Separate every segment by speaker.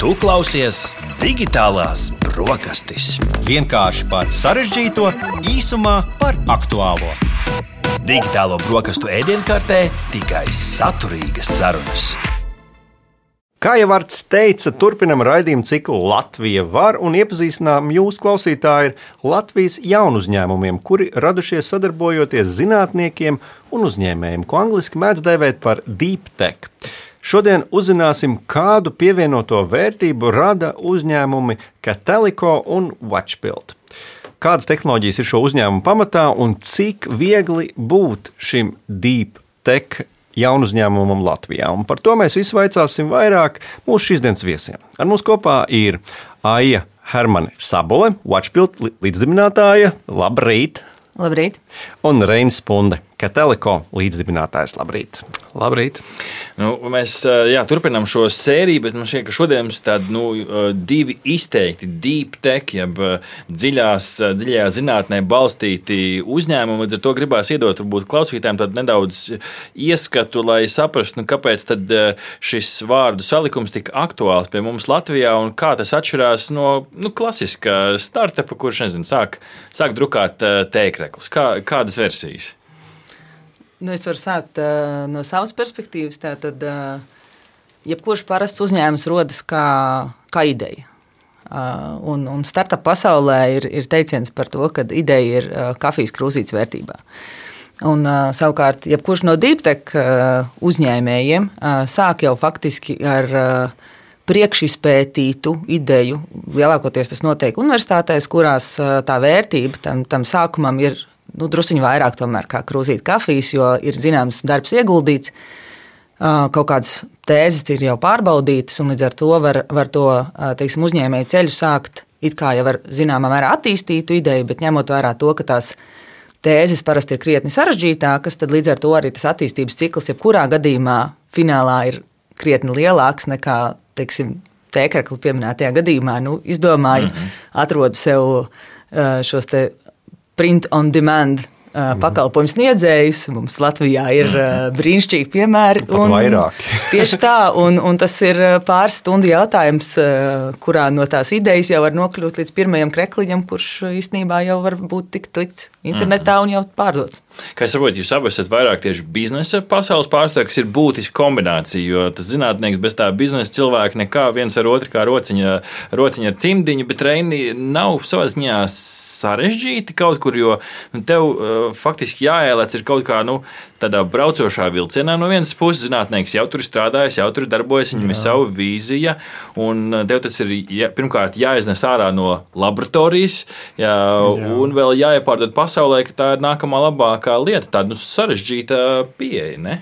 Speaker 1: Tu klausies Digitālās brokastis.
Speaker 2: Vienkārši par sarežģīto, īsumā par aktuālo.
Speaker 1: Digitālo brokastu ēdienkartē tikai saturīgas sarunas.
Speaker 3: Kā jau Arts teica, turpinam raidījumu ciklu Latvija var, un iepazīstinām jūs, klausītāji, ar Latvijas jaunu uzņēmumiem, kuri radušies sadarbojoties zinātniekiem un uzņēmējiem, ko angliski mēdz dēvēt par deep tech. Šodien uzzināsim, kādu pievienoto vērtību rada uzņēmumi Catelico un Watchbuild. Kādas tehnoloģijas ir šo uzņēmumu pamatā un cik viegli būt šim deep tech jaunu uzņēmumam Latvijā. Un par to mēs visu vaicāsim vairāk mūsu šīsdienas viesiem. Ar mums kopā ir Aija Hermane Sabole, Watchbuild līdzdibinātāja. Labrīt!
Speaker 4: Labrīt!
Speaker 3: Un Reinis Punde, Catelico līdzdibinātājs. Labrīt!
Speaker 5: Labrīt! Mēs turpinām šo sēriju, bet man šķiet, ka šodien mums ir tādi divi izteikti deep tech, jeb dziļajā zinātnē balstīti uzņēmumi. Līdz ar to gribās iedot varbūt klausītājiem tādu nedaudz ieskatu, lai saprastu, kāpēc tad šis vārdu salikums tik aktuāls pie mums Latvijā un kā tas atšķirās no klasiskā startupa, kurš, sāk drukāt tēkreklus. Kādas versijas?
Speaker 4: Es varu sākt no savas perspektīvas. Tātad, jebkurš parasts uzņēmums rodas kā ideja. Un startup pasaulē ir teiciens par to, ka ideja ir kafijas krūzītes vērtībā. Un, savukārt, jebkurš no deep tech uzņēmējiem sāk jau faktiski ar priekšizpētītu ideju. Lielākoties tas notiek universitātēs, kurās tā vērtība tam sākumam ir drusiņi vairāk tomēr kā krūzīt kafijas, jo ir zināms darbs ieguldīts, kaut kādas tēzes ir jau pārbaudītas, un līdz ar to var to, uzņēmēju ceļu sākt it kā jau ar zināmā mērā attīstītu ideju, bet ņemot vērā to, ka tās tēzes parasti ir krietni sarežģītākas, tad līdz ar to arī tas attīstības cikls, jebkurā gadījumā finālā ir krietni lielāks nekā, tēkrekli pieminētajā gadījumā. Izdomāju, atrodu sev šos te print on demand pakalpojumu sniedzējus. Mums Latvijā ir brīnišķīgi piemēri.
Speaker 3: Pat vairāk.
Speaker 4: Tieši tā, un tas ir pāris stundu jautājums, kurā no tās idejas jau var nokļūt līdz pirmajam krekliņam, kurš īstenībā jau var būt tikt likts internetā un jau pārdots.
Speaker 5: Kā es saprotu, jūs abi esat vairāk tieši biznesa pasaules pārstāvji, kas ir būtiska kombinācija, jo tas zinātnieks bez tā biznesa cilvēka nekā viens ar otru kā rociņa ar cimdiņu, bet Reini nav savā ziņā sarežģīti kaut kur, jo tev faktiski jāielēc ir kaut kā tādā braucošā vilcienā. No vienas puses zinātnieks jau tur strādājas, jau tur darbojas, viņam ir sava vīzija, un tev tas ir pirmkārt jāiznes ārā no laboratorijas, un vēl jāiepārdod pasaulē, ka tā ir nākamā labākā lieta, tāda sarežģīta pieeja, ne?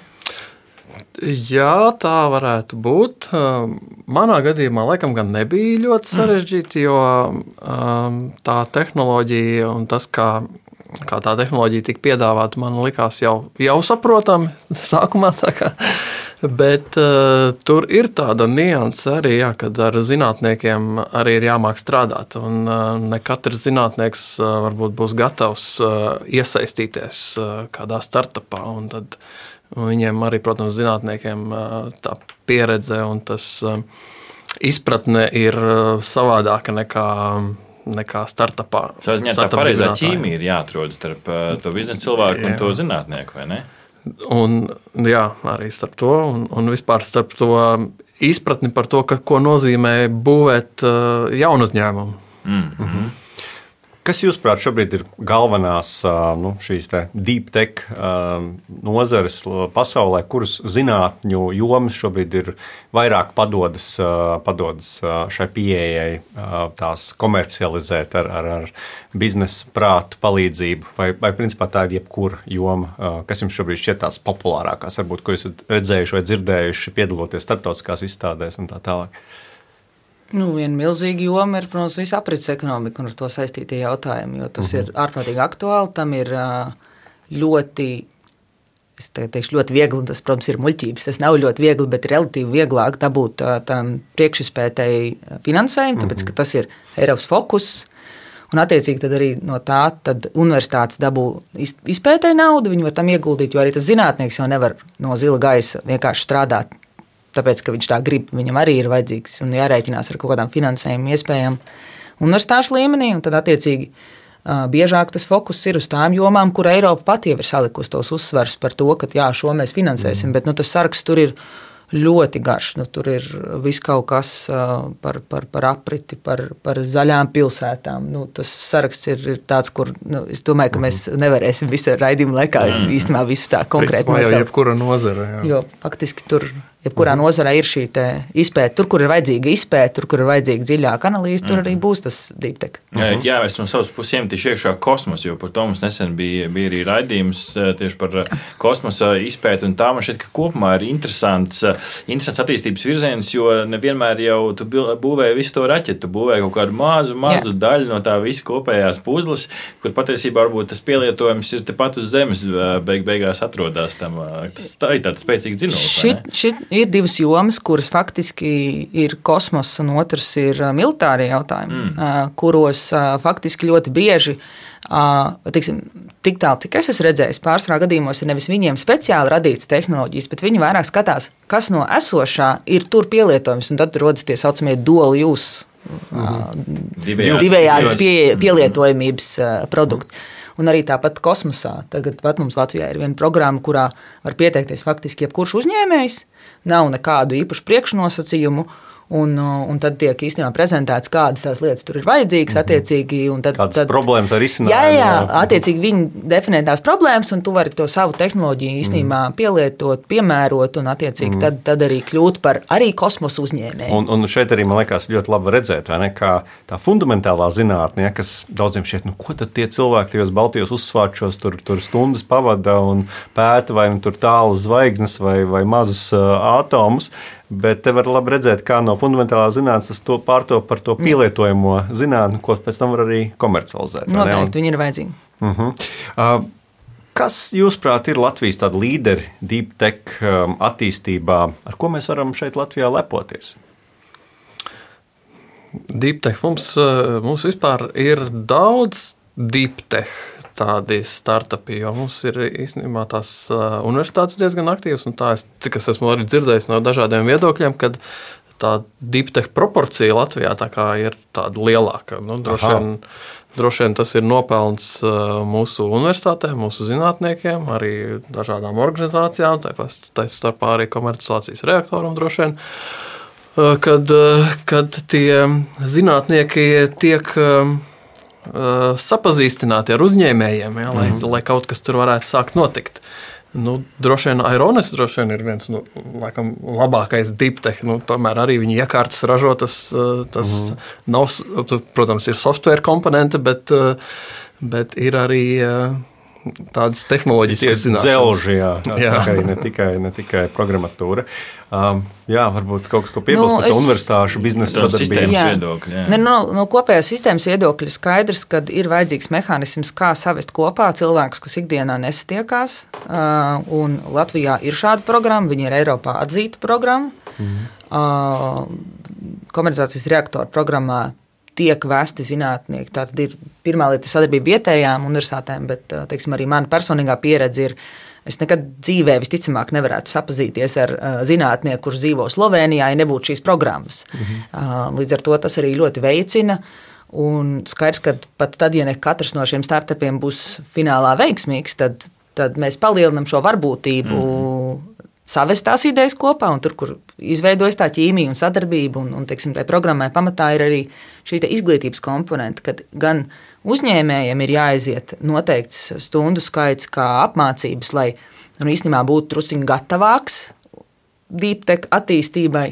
Speaker 6: Jā, tā varētu būt. Manā gadījumā laikam gan nebija ļoti sarežģīti, jo tā tehnoloģija un tas, kā tā tehnoloģija tika piedāvāta, man likās jau saprotami sākumā. Bet tur ir tāda nianse arī, kad ar zinātniekiem arī ir jāmāk strādāt. Un ne katrs zinātnieks varbūt būs gatavs iesaistīties kādā startupā. Un tad viņiem arī, protams, zinātniekiem tā pieredze un tas izpratne ir savādāka nekā startupā.
Speaker 5: Savā ziņā tā pareizā ķīmija ir jāatrod starp to biznesa cilvēku un to zinātnieku, vai ne?
Speaker 6: Un jā, arī starp to un vispār starp to izpratni par to, ko nozīmē būvēt jaunu uzņēmumu.
Speaker 3: Kas jūsuprāt šobrīd ir galvenās šīs deep tech nozares pasaulē, kuras zinātņu jomas šobrīd ir vairāk padodas šai pieejai, tās komercializēt ar biznesa prātu palīdzību, vai principā tā ir jebkura joma, kas jums šobrīd šķiet tās populārākās, varbūt, ko esat redzējuši vai dzirdējuši, piedaloties starptautiskās izstādēs un tā tālāk?
Speaker 4: Viena milzīga joma ir, protams, visa aprits ekonomika un ar to saistītie jautājumi, jo tas ir ārprātīgi aktuāli, tam ir ļoti viegli, un tas, protams, ir muļķības. Tas nav ļoti viegli, bet relatīvi vieglāk dabūt tam priekšizpētēji finansējumu, tāpēc, ka tas ir Eiropas fokus, un attiecīgi tad arī no tā tad universitātes dabū izpētēji naudu, viņi var tam ieguldīt, jo arī tas zinātnieks jau nevar no zila gaisa vienkārši strādāt tāpēc, ka viņš tā grib, viņam arī ir vajadzīgs un jārēķinās ar kaut kādām finansējuma iespējām universitāšu līmenī, un tad attiecīgi biežāk tas fokus ir uz tām jomām, kur Eiropa pati jau ir salikusi tos uzsvers par to, ka jā, šo mēs finansēsim, bet tas saraksts tur ir ļoti garš. Tur ir viss kaut kas par apriti, par zaļām pilsētām. Tas saraksts ir tāds, kur es domāju, ka mēs nevarēsim visu raidījumu laikā īstenībā visu tā konkrēti
Speaker 6: nosaukt. Jau jebkura nozara. Jā.
Speaker 4: Jo faktiski tur jebkurā nozarē ir šī izpēte. Tur, kur ir vajadzīga izpēte, tur, kur ir vajadzīga dziļāka analīze, tur arī būs tas deep tech.
Speaker 5: Jā, es no savas puses iemetīšu iekšā kosmosu, jo par to mums nesen bija arī raidījums tieši par kosmosa izpēti, un tā man šķiet, ka kopumā ir interesants attīstības virziens, jo nevienmēr jau tu būvēji visu to raķetu, tu būvēji kaut kādu mazu daļu no tā visa kopējās puzles, kur patiesībā varbūt tas pielietojums ir tepat uz zemes beigās atrodas tam. Tā ir tāds spēcīgs dzinulis.
Speaker 4: Ir divas jomas, kuras faktiski ir kosmos, un otrs ir militārie jautājumi, kuros faktiski ļoti bieži, tik tālu, cik es esmu redzējis, pārsvarā gadījumos ir nevis viņiem speciāli radītas tehnoloģijas, bet viņi vairāk skatās, kas no esošā ir tur pielietojums, un tad rodas tie saucamie dual use, divējādas pielietojamības produkti. Un arī tāpat kosmosā. Tagad pat mums Latvijā ir viena programma, kurā var pieteikties faktiski jebkurš uzņēmējs, nav nekādu īpašu priekšnosacījumu, un tad tiek īstenībā prezentēts, kādas tās lietas tur ir vajadzīgas, attiecīgi.
Speaker 3: Kādas problēmas var izsināt?
Speaker 4: Jā, attiecīgi viņi definē tās problēmas, un tu vari to savu tehnoloģiju īstenībā pielietot, piemērot, un attiecīgi tad arī kļūt par arī kosmosa uzņēmēju.
Speaker 3: Un šeit arī, man liekas, ļoti labi redzēt, vai ne, kā tā fundamentālā zinātne, kas daudziem šķiet, ko tad tie cilvēki tajos Baltijos uzsvārčos tur stundas pavada un pēta, vai tur tālas zvaigznes vai mazus atomus. Bet te var labi redzēt, kā no fundamentālā zinātnes tas to pārto par to pielietojamo zinātni, ko pēc tam var arī komercializēt.
Speaker 4: Noteikti, viņi ir vajadzīgi.
Speaker 3: Kas, jūsuprāt, ir Latvijas tādi līderi deep tech attīstībā, ar ko mēs varam šeit Latvijā lepoties?
Speaker 6: Deep tech mums vispār ir daudz deep tech tādi startupi, jo mums ir īstenībā tās universitātes diezgan aktīvas, un tā, cik es esmu arī dzirdējis no dažādiem viedokļiem, kad tā deep tech proporcija Latvijā tā kā ir tāda lielāka. Droši vien tas ir nopelns mūsu universitātēm, mūsu zinātniekiem, arī dažādām organizācijām, tā starpā arī komercializācijas reaktoram droši vien, kad tie zinātnieki tiek sapazīstināti ar uzņēmējiem, lai kaut kas tur varētu sākt notikt. Droši vien Aironis ir viens laikam labākais deep tech. Tomēr arī viņa iekārtas ražo, tas nav, protams, ir software komponente, bet ir arī tādas tehnoloģiskas zināšanas.
Speaker 3: Dzelži, ne tikai programmatūra. Varbūt kaut kas, ko piebilst par universitāšu biznesa sadarbību.
Speaker 4: No kopējās sistēmas viedokļa skaidrs, ka ir vajadzīgs mehānisms, kā savest kopā cilvēkus, kas ikdienā nesatiekās. Un Latvijā ir šāda programma, viņa ir Eiropā atzīta programma. Komercializācijas reaktoru programmā tiek vesti zinātnieki. Tātad ir pirmā lieta sadarbība vietējām universitātēm, bet, teiksim, arī mana personīgā pieredze ir, es nekad dzīvē visticamāk nevarētu sapazīties ar zinātnieku, kurš dzīvo Slovenijā, ja nebūtu šīs programmas. Līdz ar to tas arī ļoti veicina, un skaidrs, ka pat tad, ja ne katrs no šiem startupiem būs finālā veiksmīgs, tad mēs palielinam šo varbūtību savest tās idejas kopā, un tur, kur izveidojas tā ķīmija un sadarbība, un teiksim, tai programmai pamatā ir arī šī izglītības komponente, kad gan uzņēmējiem ir jāaiziet noteikts stundu skaits kā apmācības, lai īstenībā būtu drusciņ gatavāks deep tech attīstībai,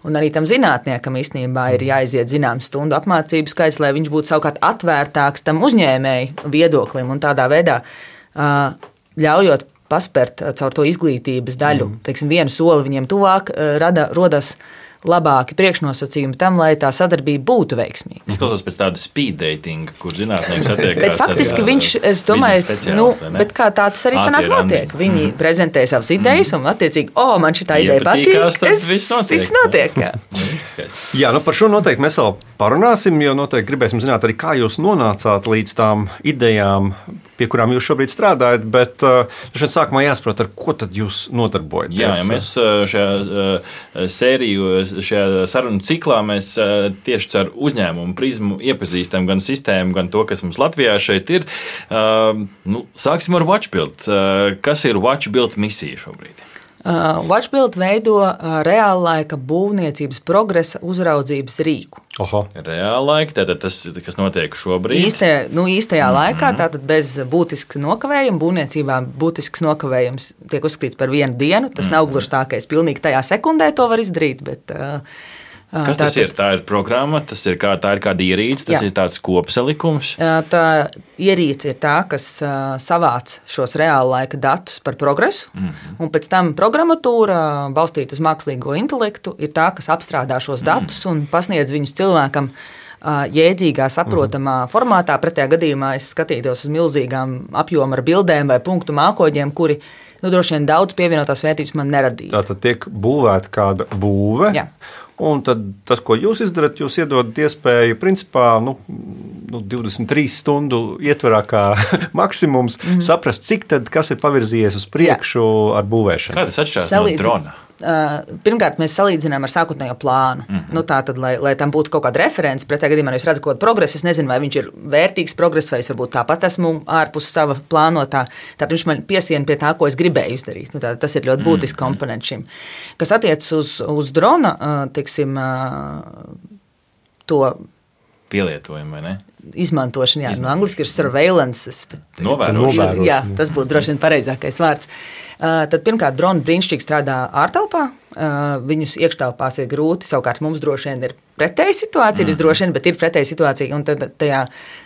Speaker 4: un arī tam zinātniekam īstenībā ir jāaiziet zināms stundu apmācību skaits, lai viņš būtu savukārt atvērtāks tam uzņēmēju viedoklim, un tādā veidā ļaujot paspērt caur to izglītības daļu, teiksim, vienu soli viņiem tuvāk, rodas labāki priekšnosacījumi tam, lai tā sadarbība būtu veiksmīga.
Speaker 5: Izklausās pēc tāda speed dating, kur zinātnieks attiekās.
Speaker 4: Bet faktiski viņš, es domāju, bet kā tā tas arī sanāk notiek. Viņi prezentē savas idejas un attiecīgi, man šitā ideja patīk, viss notiek.
Speaker 3: Jā, par šo noteikti mēs vēl parunāsim, jo noteikti gribēsim zināt arī, kā jūs nonācāt līdz tām idejām, pie kurām jūs šobrīd strādājat, bet šeit sākumā jāsaprot, ar ko tad jūs nodarbojaties.
Speaker 5: Jā, mēs šajā sēriju, šajā sarunu ciklā mēs tieši ar uzņēmumu prizmu iepazīstam gan sistēmu, gan to, kas mums Latvijā šeit ir. Sāksim ar WatchBuild. Kas ir WatchBuild misija šobrīd?
Speaker 4: WatchBuild veido reāllaika būvniecības progresa uzraudzības rīku.
Speaker 5: Reāllaika, tātad tas, kas notiek šobrīd?
Speaker 4: Īstajā laikā, tātad bez būtiska nokavējuma, būvniecībā būtisks nokavējums tiek uzskatīts par 1 dienu. Tas nav gluži tā, ka es pilnīgi tajā sekundē to var izdarīt, bet...
Speaker 5: Kas tas ir? Tā ir programma, tā ir kāda ierīce, tas ir tāds kopsalikums.
Speaker 4: Tā ierīce ir tā, kas savāc šos reāla laika datus par progresu, un pēc tam programmatūra, balstīta uz mākslīgo intelektu, ir tā, kas apstrādā šos datus un pasniedz viņus cilvēkam jēdzīgā, saprotamā formātā. Pretējā gadījumā es skatītos uz milzīgām apjoma ar bildēm vai punktu mākoņiem, kuri droši vien daudz pievienotās vērtības man neradīja.
Speaker 3: Tātad tiek būvēta kāda būve.
Speaker 4: Jā.
Speaker 3: Un tad tas, ko jūs izdarat, jūs iedodat iespēju, principā, 23 stundu ietvarā kā maksimums saprast, cik tad, kas ir pavirzījies uz priekšu ar būvēšanu.
Speaker 5: Kā tas atšķirās no drona?
Speaker 4: Pirmkārt, mēs salīdzinām ar sākotnējo plānu. Tātad, lai tam būtu kaut kāda reference, pretējā gadījumā, ja es redzu kaut kādu progresu, es nezinu, vai viņš ir vērtīgs progress, vai es varbūt tāpat esmu ārpus sava plānotā. Tātad viņš man piesien pie tā, ko es gribēju izdarīt. Tas ir ļoti būtisks komponents šim. Kas attiecas uz drona, teiksim, to
Speaker 5: pielietojumu, vai ne?
Speaker 4: Izmantošana, jā, no angliski ir surveillance.
Speaker 5: Novērošana.
Speaker 4: Jā, tas būtu droši vien pareizākais vārds. Tad pirmkārt, droni brīnišķīgi strādā ārtelpā, viņus iekštelpās ir grūti, savukārt mums droši vien ir pretēja situācija, bet ir pretēja situācija, un tad tajā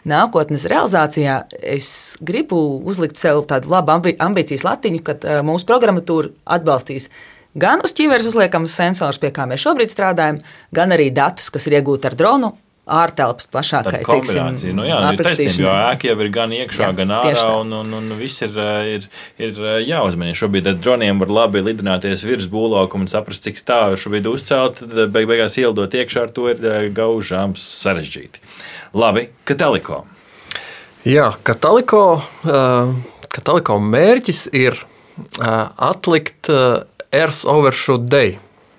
Speaker 4: nākotnes realizācijā es gribu uzlikt sev tādu labu ambīcijas latiņu, kad mūsu programmatūra atbalstīs gan uz ķīveres uzliekamus sensors, pie kā mēs šobrīd strādājam, gan arī datus, kas ir iegūti ar dronu, ārtelpas plašākai,
Speaker 5: kombinācija. Ir taisnība, jo ēka jau ir gan iekšā, gan ārā, un viss ir jāuzmanī. Šobrīd ar droniem var labi lidināties virs būvlaukuma un saprast, cik stāvi šobrīd uzcelt, tad beigās ielidot iekšā ar to ir gaužām sarežģīti. Labi, Kataliko.
Speaker 6: Jā, Kataliko mērķis ir atlikt Earth Overshoot Day.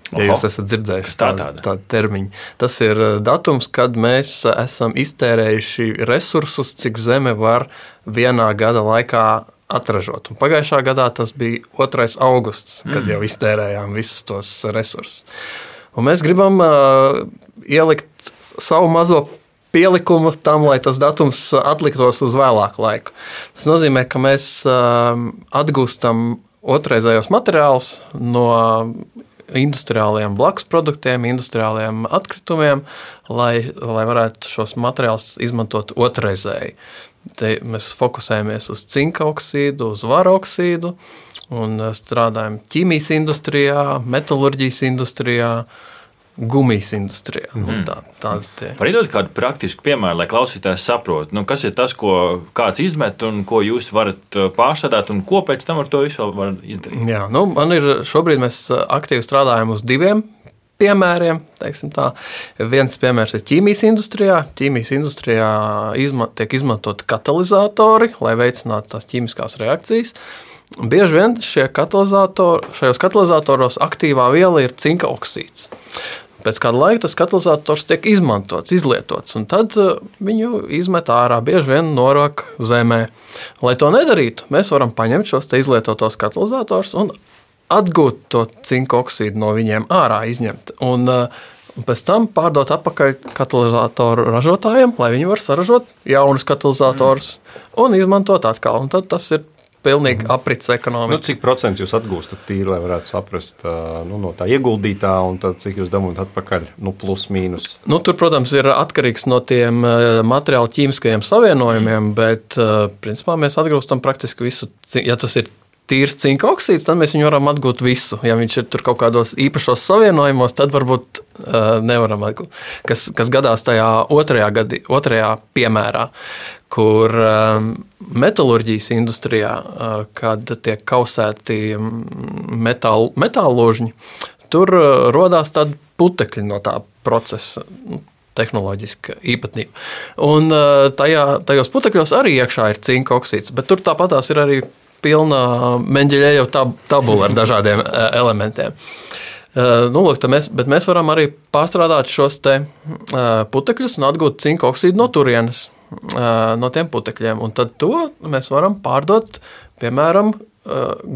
Speaker 6: Ja jūs esat dzirdējuši tādu termiņu. Tas ir datums, kad mēs esam iztērējuši resursus, cik Zeme var vienā gada laikā atražot. Un pagājušā gadā tas bija 2. augusts, kad jau iztērējām visus tos resursus. Un mēs gribam ielikt savu mazo pielikumu tam, lai tas datums atliktos uz vēlāku laiku. Tas nozīmē, ka mēs atgūstam otrreizējos materiālus no industriāliem blakus produktiem, industriāliem atkritumiem, lai varētu šos materiālus izmantot otrreizēji. Te mēs fokusējamies uz cinka oksīdu, uz vara oksīdu un strādājam ķīmijas industrijā, metalurģijas industrijā, gumijas industrijā.
Speaker 5: Parīdot kādu praktisku piemēru, lai klausītājs saprot, kas ir tas, ko kāds izmet un ko jūs varat pārstrādāt un ko pēc tam ar to visu var izdarīt.
Speaker 6: Jā, šobrīd mēs aktīvi strādājam uz 2 piemēriem. Viens piemērs ir ķīmijas industrijā. Ķīmijas industrijā tiek izmantoti katalizatori, lai veicinātu tās ķīmiskās reakcijas. Bieži vien šajos katalizatoros aktīvā viela ir cinka oksīds. Pēc kāda laika tas katalizators tiek izmantots, izlietots, un tad viņu izmet ārā, bieži vien norok zemē. Lai to nedarītu, mēs varam paņemt šos te izlietotos katalizators un atgūt to cinka oksīdu no viņiem ārā, izņemt. Un pēc tam pārdot atpakaļ katalizatoru ražotājiem, lai viņi var saražot jaunus katalizatorus un izmantot atkal. Un tad tas ir pilnīgi aprits ekonomika.
Speaker 3: Cik procentu jūs atgūstat tīri, lai varētu saprast no tā ieguldītā, un tad cik jūs dabūjat atpakaļ, plus mīnus?
Speaker 6: Tur, protams, ir atkarīgs no tiem materiālu ķīmiskajiem savienojumiem, bet principā mēs atgūstam praktiski visu. Ja tas ir tīrs cinka oksīds, tad mēs viņu varam atgūt visu. Ja viņš ir tur kaut kādos īpašos savienojumos, tad varbūt nevaram atgūt. Kas gadās tajā otrajā piemērā, kur metalurģijas industrijā, kad tiek kausēti metālložņi, tur rodās tādi putekļi no tā procesa. tehnoloģiska īpatnība. Un tajos putekļos arī iekšā ir cinka oksīds, bet tur tāpatās ir arī pilna Mendeļejev tabula ar dažādiem elementiem. Lūk, mēs varam arī pārstrādāt šos te putekļus un atgūt cinka oksīdu no turienes, no tiem putekļiem. Un tad to mēs varam pārdot, piemēram,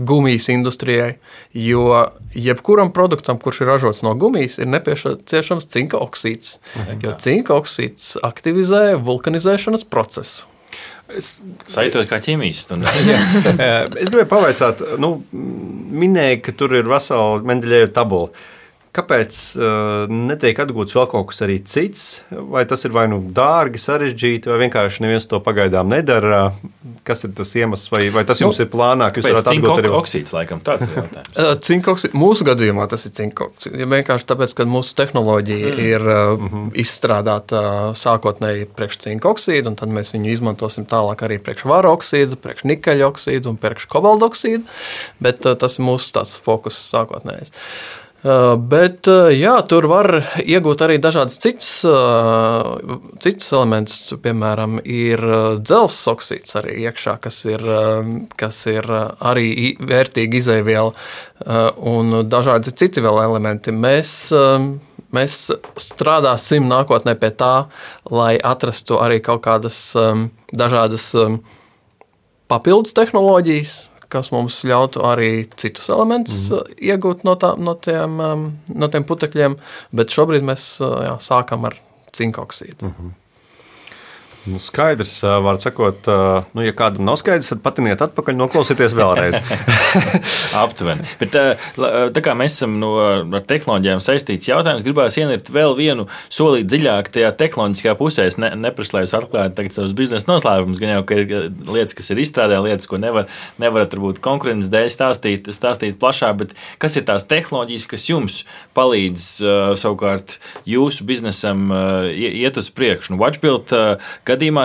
Speaker 6: gumijas industrijai, jo jebkuram produktam, kurš ir ražots no gumijas, ir nepieciešams cinka oksīds, jo cinka oksīds aktivizē vulkanizēšanas procesu.
Speaker 5: Sajūtos kā ķīmijas stundā.
Speaker 3: Es gribēju pavaicāt, minēja, ka tur ir vesela Mendeļeva tabula. Kāpēc netiek atgūts vēl kaut kas arī cits? Vai tas ir vai nu dārgi, sarežģīti, vai vienkārši neviens to pagaidām nedara? Kas ir tas iemesls, vai tas jums ir plānā, ka jūs varat atgūt arī?
Speaker 5: Cinka oksīds, laikam, tāds ir jautājums.
Speaker 6: Cinka oksīds, mūsu gadījumā tas ir cinka oksīds. Ja vienkārši tāpēc, ka mūsu tehnoloģija ir izstrādāta sākotnēji priekš cinka oksīdu, un tad mēs viņu izmantosim tālāk arī priekš vara oksīdu, priekš nikeļa oksīdu un priekš kobalta oksīdu, bet tas ir mūsu tāds fokus sākotnējs. Bet jā, tur var iegūt arī dažādas citus elementus. Piemēram, ir dzelzs oksīds arī iekšā, kas ir arī vērtīga izejviela, un dažādi citi vēl elementi. Mēs strādāsim nākotnē pie tā, lai atrastu arī kaut kādas dažādas papildus tehnoloģijas, kas mums ļautu arī citus elementus iegūt no tiem putekļiem, bet šobrīd mēs sākam ar cinka oksīdu.
Speaker 3: Skaidrs, var sakot, ja kādam nav skaidrs, tad patiniet atpakaļ, noklausieties vēlreiz.
Speaker 5: Aptuveni. Bet tā kā mēs esam ar tehnoloģijām saistīts jautājums, gribās ienirt vēl vienu solīt dziļāk tajā tehnoloģiskajā pusē. Es neprasu, lai jūs atklājat tagad savus biznesa noslēpumus, gan jau, ka ir lietas, kas ir izstrādē, lietas, ko nevarat varbūt konkurences dēļ stāstīt plašāk, bet kas ir tās tehnoloģijas, kas jums palīdz savukārt jūsu biznesam iet uz priekšu? Watchbuild gadījumā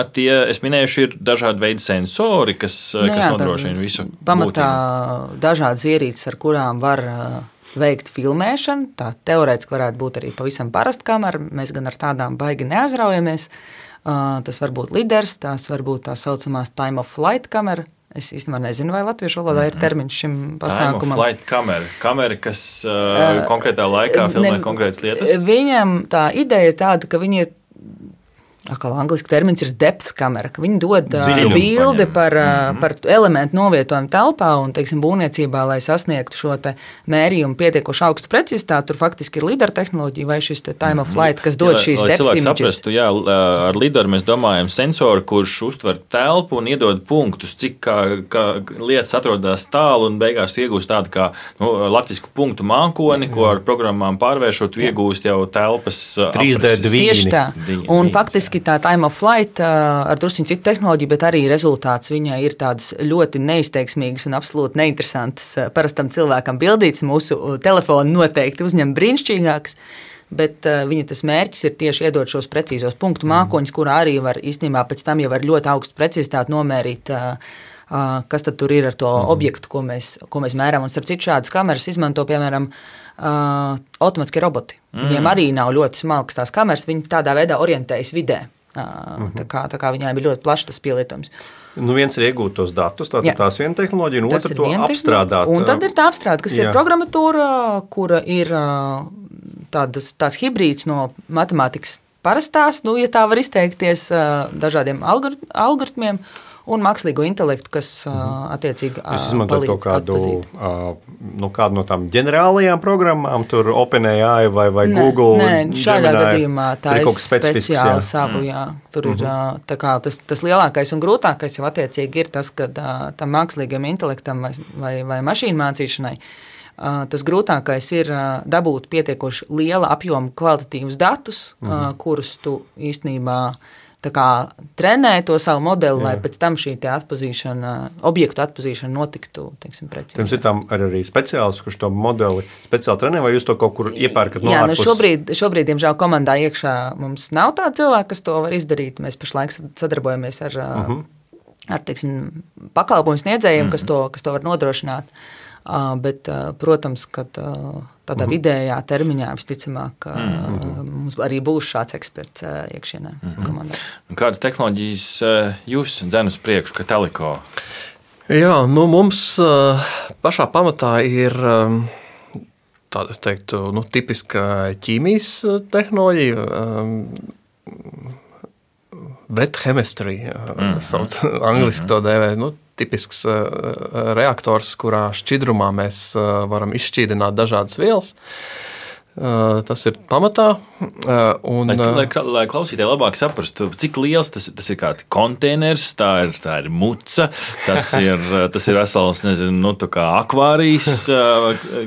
Speaker 5: es minējuši, ir dažādi veidi sensori, kas nodrošina visu.
Speaker 4: Pamatā dažādas ierīces, ar kurām var veikt filmēšanu. Tā teorētiski varētu būt arī pavisam parasta kamera. Mēs gan ar tādām baigi neaizraujamies. Tas var būt liders, tās var būt tā saucamās time of flight kamera. Es īstenībā nezinu, vai latviešu valodā ir termiņš šim pasākumam.
Speaker 5: Time of flight kamera. Kamera, kas konkrētā laikā filmē konkrētas lietas.
Speaker 4: Viņam tā ideja ir tāda, ka viņi angliski termins ir depth kamera, ka viņi dod bildi par elementu novietojumu telpā un, teiksim, būvniecībā, lai sasniegtu šo te mērījumu pietiekoši augstu precizitāti, tur faktiski ir lidar tehnoloģija vai šis te time of flight, kas dod šīs depth images.
Speaker 5: Lai cilvēks saprastu, ar lidaru mēs domājam sensoru, kurš uztver telpu un iedod punktus, cik kā lietas atrodas tālu un beigās iegūst tādu kā latvisku punktu mākoni, ko ar programmām pārvēršot, iegūst jau telpas
Speaker 3: 3D dvīni.
Speaker 4: Tieši tā. Un faktiski tā time of flight ar drusciņu citu tehnoloģiju, bet arī rezultāts viņai ir tādas ļoti neizteiksmīgas un absolūti neinteresantas parastam cilvēkam bildītas. Mūsu telefoni noteikti uzņem brīnišķīgākas, bet viņa tas mērķis ir tieši iedot šos precīzos punktu mākoņus, kurā arī var īstenībā pēc tam jau ar ļoti augstu precizitāti nomērīt, kas tad tur ir ar to objektu, ko mēs mēram. Un starp citu šādas kameras izmanto, piemēram, automatiskie roboti. Viņiem arī nav ļoti smalkas tās kameras, viņi tādā veidā orientējas vidē. Tā kā viņām ir ļoti plašs tas pielietojums.
Speaker 3: Viens ir iegūt tos datus, tātad tās viena tehnoloģija, un otra to apstrādāt.
Speaker 4: Un tad ir tā apstrāde, kas ir programmatūra, kura ir tāds hibrīds no matemātikas parastās, ja tā var izteikties, dažādiem algoritmiem, un mākslīgo intelektu, kas attiecīgi
Speaker 3: palīdz kaut kādu no tām ģenerālajām programmām, tur OpenAI vai Google.
Speaker 4: Nē, šādā gadījumā tā ir speciāli savu, Tur ir tā kā tas lielākais un grūtākais jau attiecīgi ir tas, ka tam mākslīgiem intelektam vai mašīnu mācīšanai tas grūtākais ir dabūt pietiekoši liela apjoma kvalitatīvus datus, kurus tu īstenībā tā kā trenē to savu modeli, lai pēc tam šī objektu atpazīšana notiktu, teiksim, precīzi.
Speaker 3: Jums ir tam arī speciāls, kurš to modeli speciāli trenē, vai jūs to kaut kur iepērkat no ārpus?
Speaker 4: Šobrīd, diemžēl, komandā iekšā mums nav tāda cilvēka, kas to var izdarīt. Mēs pašlaik sadarbojamies ar teiksim, pakalpojumu sniedzējiem, kas to var nodrošināt. Bet, protams, ka tādā vidējā termiņā visticamāk mums arī būs šāds eksperts iekšienē komandā.
Speaker 5: Kādas tehnoloģijas jūs dzen uz priekšu, ka Teliko?
Speaker 6: Jā, mums pašā pamatā ir tāda, es teiktu, tipiska ķīmijas tehnoloģija, wet chemistry, sauc angliski to dēvē, tipisks reaktors, kurā šķidrumā mēs varam izšķīdināt dažādas vielas. Tas ir pamatā.
Speaker 5: Lai klausītāji labāk saprastu, cik liels tas ir kāds konteiners, tā ir muca, tas ir vesels, nezinu, kā akvārijas.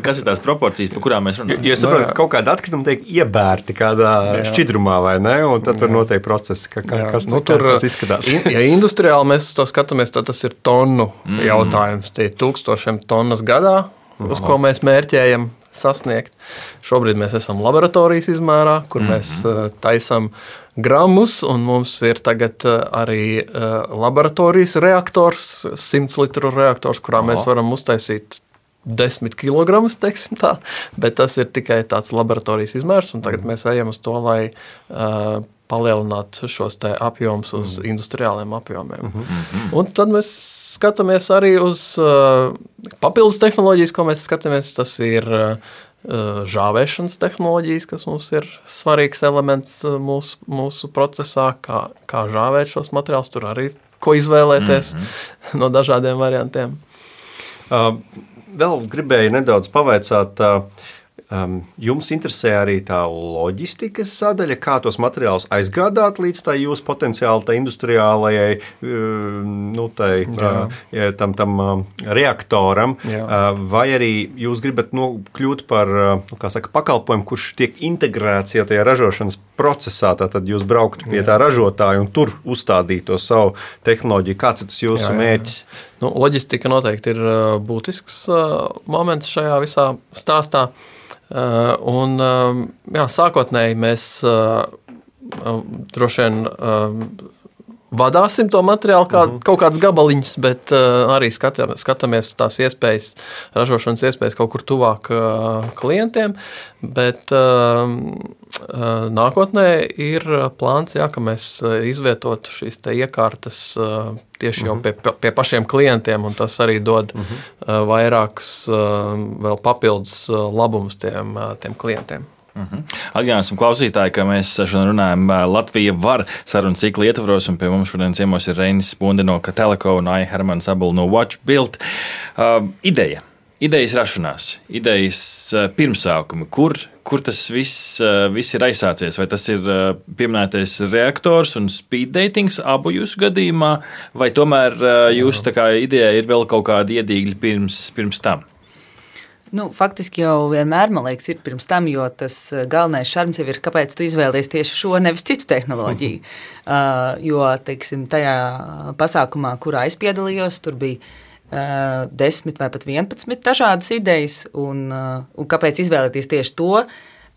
Speaker 5: Kas ir tās proporcijas, par kurām mēs runājam?
Speaker 3: Ja saprotu, ka kaut kāda atkrituma tiek iebērti kādā šķidrumā, vai ne? Un tad tur notiek procesi, kas tur izskatās.
Speaker 6: Ja industriāli mēs to skatāmies, tad tas ir tonu jautājums. Tie 1000 tonnas gadā, uz ko mēs mērķējam sasniegt. Šobrīd mēs esam laboratorijas izmērā, kur mēs taisam gramus, un mums ir tagad arī laboratorijas reaktors, 100 litru reaktors, kurā mēs varam uztaisīt 10 kilogramus, teiksim tā, bet tas ir tikai tāds laboratorijas izmērs, un tagad mēs ejam uz to, lai palielināt šos te apjomus uz industriāliem apjomiem. Un tad mēs skatāmies arī uz papildus tehnoloģijas, ko mēs skatāmies. Tas ir žāvēšanas tehnoloģijas, kas mums ir svarīgs elements mūsu procesā, kā žāvēt šos materiālus. Tur arī ko izvēlēties no dažādiem variantiem.
Speaker 3: Vēl gribēju nedaudz pavaicāt. Jums interesē arī tā loģistikas sadaļa, kā tos materiālus aizgādāt līdz tai jūsu potenciāli tai industriālajai tam reaktoram, vai arī jūs gribat kļūt par pakalpojumu, kurš tiek integrēts jau tajā ražošanas procesā, tad jūs brauktu pie tā ražotāja un tur uzstādītu to savu tehnoloģiju. Kāds ir tas jūsu mērķis?
Speaker 6: Loģistika noteikti ir būtisks moments šajā visā stāstā. Un, sākotnēji mēs droši vien vadāsim to materiālu kaut kādus gabaliņus, bet arī skatāmies tās iespējas, ražošanas iespējas kaut kur tuvāk klientiem, bet nākotnē ir plāns, ka mēs izvietotu šīs te iekārtas tieši jau pie pašiem klientiem, un tas arī dod vairākus vēl papildus labumus tiem klientiem.
Speaker 5: Atgādināsim klausītāji, ka mēs šodien runājam Latvija var sarunu ciklu ietvaros, un pie mums šodien ciemos ir Reinis Spunde no Teliko un Aija Hermans Abula no WatchBuild. Idejas rašanās, idejas pirmsākumi, kur tas viss ir aizsācies, vai tas ir pieminētais reaktors un speed datings abu jūsu gadījumā, vai tomēr jūsu tā kā ideja ir vēl kaut kādi iedīgļi pirms tam?
Speaker 4: Faktiski jau vienmēr, man liekas, ir pirms tam, jo tas galvenais šarms jau ir, kāpēc tu izvēlies tieši šo, nevis citu tehnoloģiju. Jo, teiksim, tajā pasākumā, kurā es piedalījos, tur bija 10 vai pat 11 dažādas idejas, un kāpēc izvēlēties tieši to?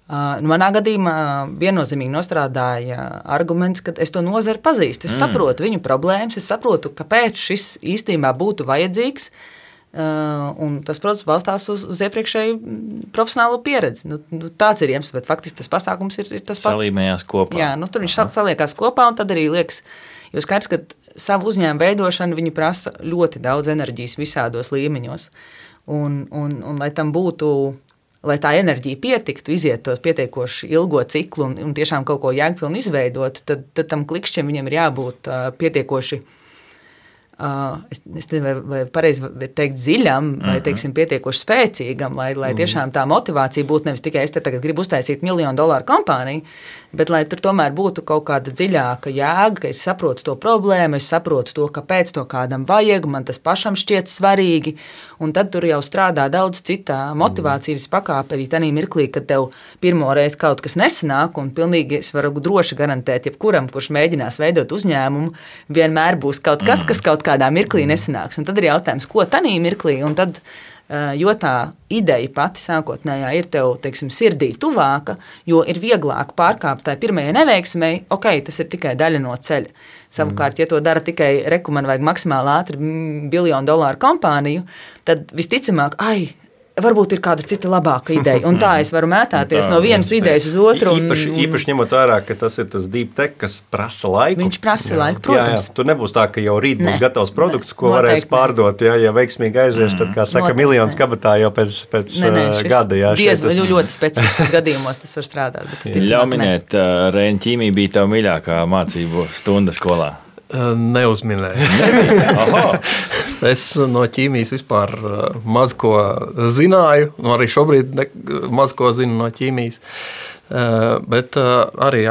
Speaker 4: Manā gadījumā viennozīmīgi nostrādāja arguments, ka es to nozari pazīstu. Es saprotu viņu problēmas, es saprotu, kāpēc šis īstenībā būtu vajadzīgs. Un tas, protams, balstās uz iepriekšēju profesionālo pieredzi. Tāds ir iemesls, bet faktiski tas pasākums ir tas pats.
Speaker 5: Salīmējās kopā.
Speaker 4: Jā, tur viņš saliekās kopā, un tad arī liekas, jo skaidrs, ka savu uzņēmumu veidošanu viņi prasa ļoti daudz enerģijas visādos līmeņos. Un lai tam būtu, lai tā enerģija pietiktu, iziet to pietiekoši ilgo ciklu un tiešām kaut ko jēgpilni izveidot, tad tam klikšķiem viņam ir jābūt pietiekoši. Es nezinu, vai pareizi teikt dziļam, vai teiksim pietiekoši spēcīgam, lai tiešām tā motivācija būtu nevis tikai es te tagad gribu uztaisīt $1 miljonu kompāniju, bet lai tur tomēr būtu kaut kāda dziļāka jēga, ka es saprotu to problēmu, es saprotu to, kāpēc to kādam vajag, man tas pašam šķiet svarīgi, un tad tur jau strādā daudz citā motivācijas pakāpe arī tanī mirklī, kad tev pirmoreiz kaut kas nesanāk, un pilnīgi es varu droši garantēt jebkuram, kurš mēģinās veidot uzņēmumu, vienmēr būs kaut kas, kas kaut kādā mirklī nesanāks. Un tad ir jautājums, ko tanī mirklī, un tad jo tā ideja pati sākotnējā ir tev, teiksim, sirdī tuvāka, jo ir vieglāk pārkāpt tai pirmajai neveiksmei, tas ir tikai daļa no ceļa. Savukārt, ja to dara tikai man vajag maksimāli ātri $1 biljonu kompāniju, tad visticamāk, varbūt ir kāda cita labāka ideja. Un tā es varu mētāties no vienas idejas uz otru.
Speaker 3: Īpaši ņemot vērā, ka tas ir tas deep tech, kas prasa laiku.
Speaker 4: Viņš prasa laiku, protams.
Speaker 3: Tur nebūs tā, ka jau rīt būs gatavs produkts, ko varēs pārdot. Ja veiksmīgi aizies, tad, kā saka, miljonus kabatā jau pēc gada.
Speaker 4: Ļoti specifiskos gadījumos tas var strādāt.
Speaker 5: Ļauj minēt, Reina, ķīmija bija tava mīļākā mācību stunda skolā.
Speaker 6: Neuzminēju. Es no ķīmijas vispār maz ko zināju, arī šobrīd maz ko zinu no ķīmijas. Bet arī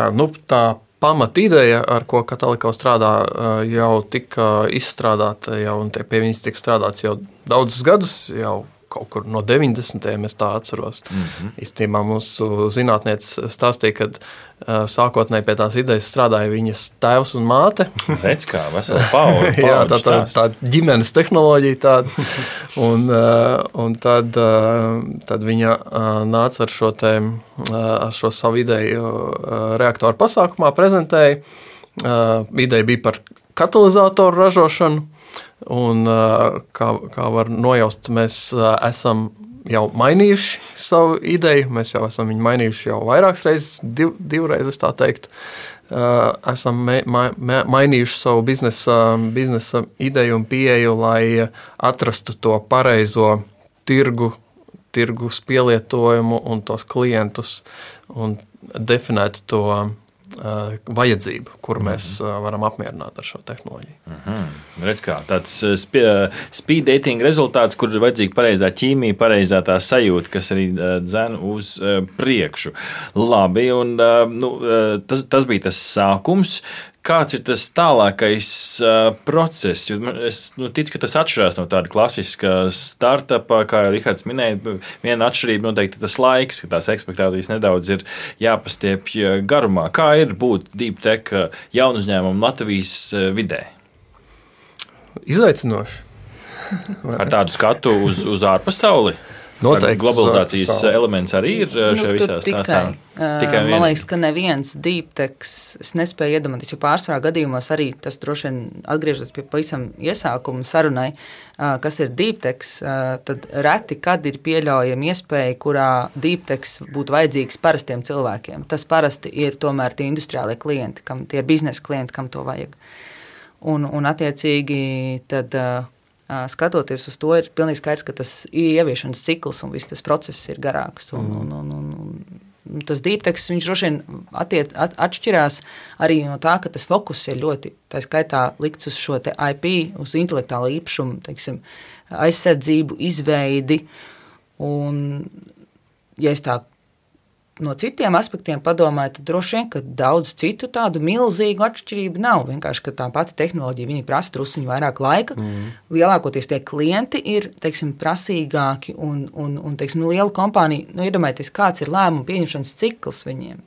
Speaker 6: tā pamatideja, ar ko Kataliko strādā, jau tika izstrādāta, un pie viņas tika strādāts jau daudzus gadus, jau kaut kur no 90. es tā atceros. Īstenībā mūsu zinātniece stāstīja, ka sākotnēji pie tās idejas strādāja viņas tēvs un māte.
Speaker 5: Redz kā, vesela paudze.
Speaker 6: Jā, tā ģimenes tehnoloģija tāda. Un tad viņa nāca ar šo savu ideju reaktoru pasākumā, prezentēja. Ideja bija par katalizatoru ražošanu. Un, kā var nojaust, mēs esam jau mainījuši savu ideju, mēs jau esam viņu mainījuši jau vairākas reizes, divreiz es tā teiktu. Esam mainījuši savu biznesa ideju un pieeju, lai atrastu to pareizo tirgus pielietojumu un tos klientus un definētu to vajadzību, kuru mēs varam apmierināt ar šo tehnoloģiju.
Speaker 5: Redz kā, tāds speed dating rezultāts, kur ir vajadzīga pareizā ķīmija, pareizā tā sajūta, kas arī dzen uz priekšu. Labi, un tas bija tas sākums. Kāds ir tas tālākais process? Es ticu, ka tas atšķirās no tāda klasiska startupa, kā Rihards minēja. Viena atšķirība noteikti tas laiks, ka tās ekspektācijas nedaudz ir jāpastiepj garumā. Kā ir būt deep tech jaunu uzņēmumu Latvijas vidē?
Speaker 6: Izaicinoši.
Speaker 5: Ar tādu skatu uz ārpasauli? Noteikti. Globalizācijas elements arī ir šajā visā stāstā.
Speaker 4: Tikai man liekas, ka neviens deep tech, es nespēju iedomāties, jo pārsvarā gadījumos arī tas droši vien atgriežas pie pavisam iesākuma sarunai, kas ir deep tech, tad reti, kad ir pieļaujama iespēja, kurā deep tech būtu vajadzīgs parastiem cilvēkiem. Tas parasti ir tomēr tie industriālie klienti, tie biznesa klienti, kam to vajag. Un attiecīgi tad skatoties uz to, ir pilnīgi skaidrs, ka tas ieviešanas cikls un viss tas process ir garāks. Un tas deep tech, viņš droši vien atšķirās arī no tā, ka tas fokus ir ļoti, tā skaitā, likts uz šo te IP, uz intelektuālo īpašumu, teiksim, aizsardzību, izveidi. Un, ja es tā no citiem aspektiem padomāju, tad droši vien, ka daudz citu tādu milzīgu atšķirību nav. Vienkārši, ka tā pati tehnoloģija, viņi prasa drusciņu vairāk laika. Lielākoties tie klienti ir, teiksim, prasīgāki un teiksim, liela kompānija, iedomājieties, kāds ir lēmumu pieņemšanas cikls viņiem.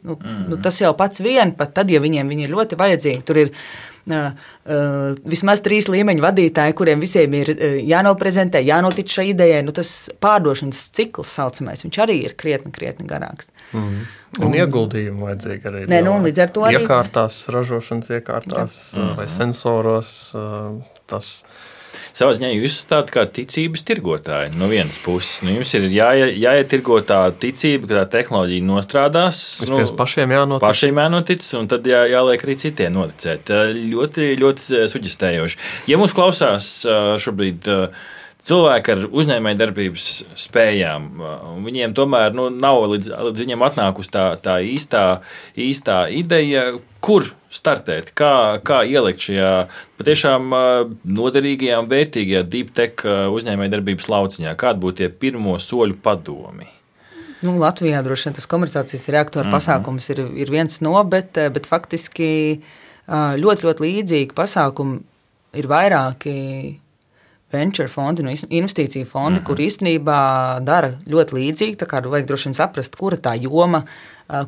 Speaker 4: Tas jau pats vien, pat tad, ja viņi ir ļoti vajadzīgi, tur ir vismaz 3 līmeņu vadītāji, kuriem visiem ir jānoprezentē, jānotic šai idejai. Tas pārdošanas cikls saucamais, viņš arī ir krietni garāks.
Speaker 6: Un ieguldījumu vajadzīgi arī.
Speaker 4: Līdz ar to arī
Speaker 6: iekārtās, ražošanas iekārtās vai sensoros. Tas
Speaker 5: savā ziņā jūs esat tādi kā ticības tirgotāji no vienas puses. Jums ir jāietirgo tā ticība, ka tā tehnoloģija nostrādās.
Speaker 6: Pašiem
Speaker 5: jānotic, un tad jāliek arī citiem noticēt. Ļoti, ļoti suģestējoši. Ja mūs klausās šobrīd cilvēki ar uzņēmējdarbības spējām, viņiem tomēr nav līdz viņiem atnākusi tā īstā ideja, kur startēt, kā ielikt šajā patiešām noderīgajā un vērtīgajā deep tech uzņēmējdarbības lauciņā, kādi būtu tie pirmo soļu padomi?
Speaker 4: Latvijā droši vien tas komercializācijas reaktoru pasākums ir viens no, bet faktiski ļoti, ļoti līdzīgi pasākumi ir vairāki venture fondi, investīciju fondi, kur īstenībā dara ļoti līdzīgi, tā kā vajag droši vien saprast, kura tā joma,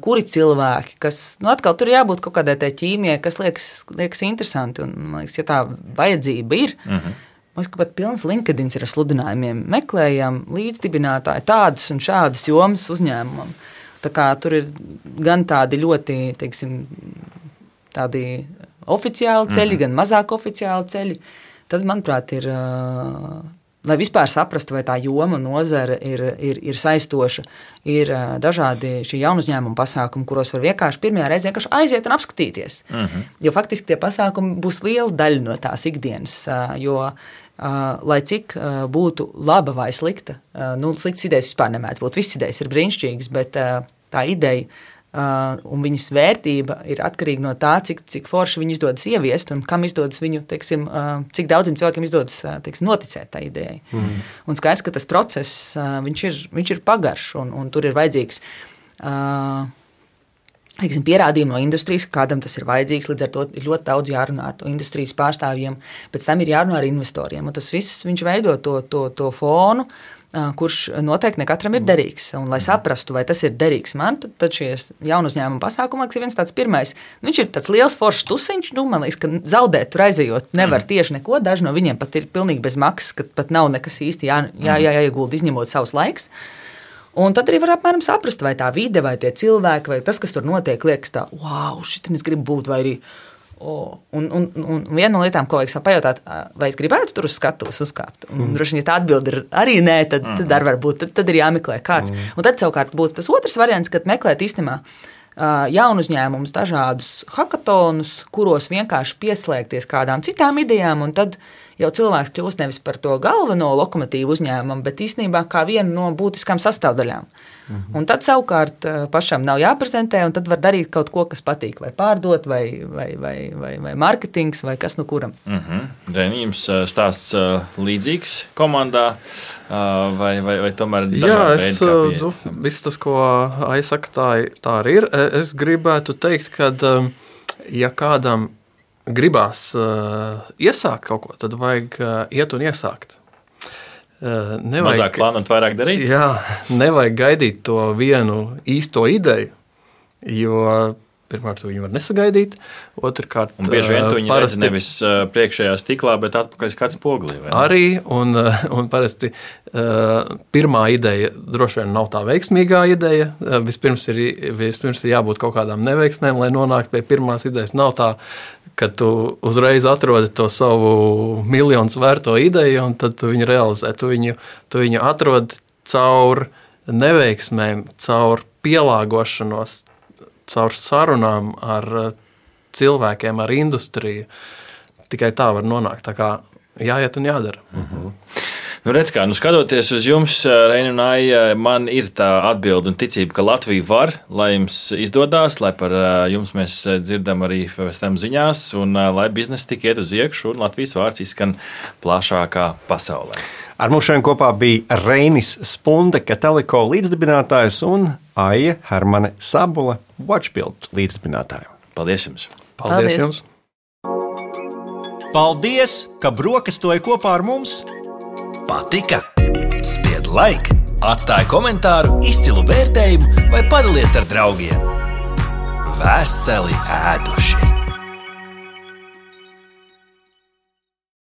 Speaker 4: kuri cilvēki, kas, atkal tur jābūt kaut kādai tai ķīmijai, kas liekas interesanti, un, man liekas, ja tā vajadzība ir, Mums pat pilns LinkedIn ir ar sludinājumiem. Meklējam līdzdibinātāji tādas un šādas jomas uzņēmumam. Tā kā tur ir gan tādi ļoti, teiksim, tādi oficiāli ceļi, gan mazāk oficiāli ceļi. Tad, manuprāt, ir, lai vispār saprastu, vai tā joma nozara ir saistoša, ir dažādi šie jaunu uzņēmumu pasākumi, kuros var vienkārši pirmajā reizē aiziet un apskatīties. Jo faktiski tie pasākumi būs liela daļa no tās ikdienas, jo, lai cik būtu laba vai slikta, sliktas idejas vispār nemēdz būt, visas idejas ir brīnišķīgas, bet tā ideja un viņas vērtība ir atkarīga no tā, cik forši viņu izdodas ieviest un kam izdodas viņu, teiksim, cik daudziem cilvēkiem izdodas, teiksim, noticēt tā idejai. Un skaidrs, ka tas process, viņš ir pagarš un tur ir vajadzīgs, teiksim, pierādījumi no industrijas, ka kādam tas ir vajadzīgs, līdz ar to ir ļoti daudz jārunā ar to industrijas pārstāvjiem, pēc tam ir jārunā ar investoriem, un tas viss viņš veido to fonu, kurš noteikti ne katram ir derīgs. Un, lai saprastu, vai tas ir derīgs man, tad šie jaunu uzņēmumu pasākumi ir viens tāds pirmais. Viņš ir tāds liels foršs tusiņš, man liekas, ka zaudēt tur aizejot nevar tieši neko. Daži no viņiem pat ir pilnīgi bez maksas, ka pat nav nekas īsti jāiegulda, izņemot savus laiks. Un tad arī var apmēram saprast, vai tā vide, vai tie cilvēki, vai tas, kas tur notiek, liekas tā, wow, šitam es gribu būt, vai arī Un viena no lietām, ko vajag pajautāt, vai es gribētu tur uz skatuves uzkāpt. Droši vien, ja tā atbilde ir arī nē, tad var būt, tad ir jāmeklē kāds. Un tad savukārt būtu tas otrs variants, kad meklēt īstenībā jaunu uzņēmumus, dažādus hakatonus, kuros vienkārši pieslēgties kādām citām idejām, un tad jau cilvēks kļūst nevis par to galveno lokomotīvu uzņēmumu, bet īstenībā kā vienu no būtiskām sastāvdaļām. Un tad savukārt pašam nav jāprezentē, un tad var darīt kaut ko, kas patīk, vai pārdot, vai marketings, vai kas no kuram.
Speaker 5: Reni, jums stāsts līdzīgs komandā, vai tomēr dažādi veidi?
Speaker 6: Viss tas, ko aizsaka, tā arī ir. Es gribētu teikt, ka ja kādam gribās iesākt kaut ko, tad vajag iet un iesākt.
Speaker 5: Mazāk plānot, vairāk darīt?
Speaker 6: Jā, nevajag gaidīt to vienu īsto ideju, jo pirmkārt viņu var nesagaidīt, otrkārt
Speaker 5: un bieži vien tu viņu redz nevis priekšējā stiklā, bet atpakaļ kāds poglī.
Speaker 6: Arī, un parasti pirmā ideja droši vien nav tā veiksmīgā ideja. Vispirms ir jābūt kaut kādām neveiksmēm, lai nonāktu pie pirmās idejas. Nav tā, ka tu uzreiz atrodi to savu miljonus vērto ideju, un tad tu viņu realizē. Tu viņu atrodi caur neveiksmēm, caur pielāgošanos, caur sarunām ar cilvēkiem, ar industriju. Tikai tā var nonākt. Tā kā jāiet un jādara.
Speaker 5: Redz kā, skatoties uz jums, Reini un Aija, man ir tā atbilde un ticība, ka Latvija var, lai jums izdodās, lai par jums mēs dzirdam arī pēc tam ziņās, un lai biznesa tik iet uz iekšu, un Latvijas vārds izskan plašākā pasaulē.
Speaker 3: Ar mums šodien kopā bija Reinis Spunde, Kateliko līdzdibinātājs, un Aija Hermane Sabula, Watchbuild līdzdibinātāja.
Speaker 5: Paldies jums!
Speaker 6: Paldies jums!
Speaker 2: Paldies, ka brokastoji kopā ar mums!
Speaker 1: Patika? Spied like, atstāj komentāru, izcilu vērtējumu vai padalies ar draugiem. Veseli ēduši!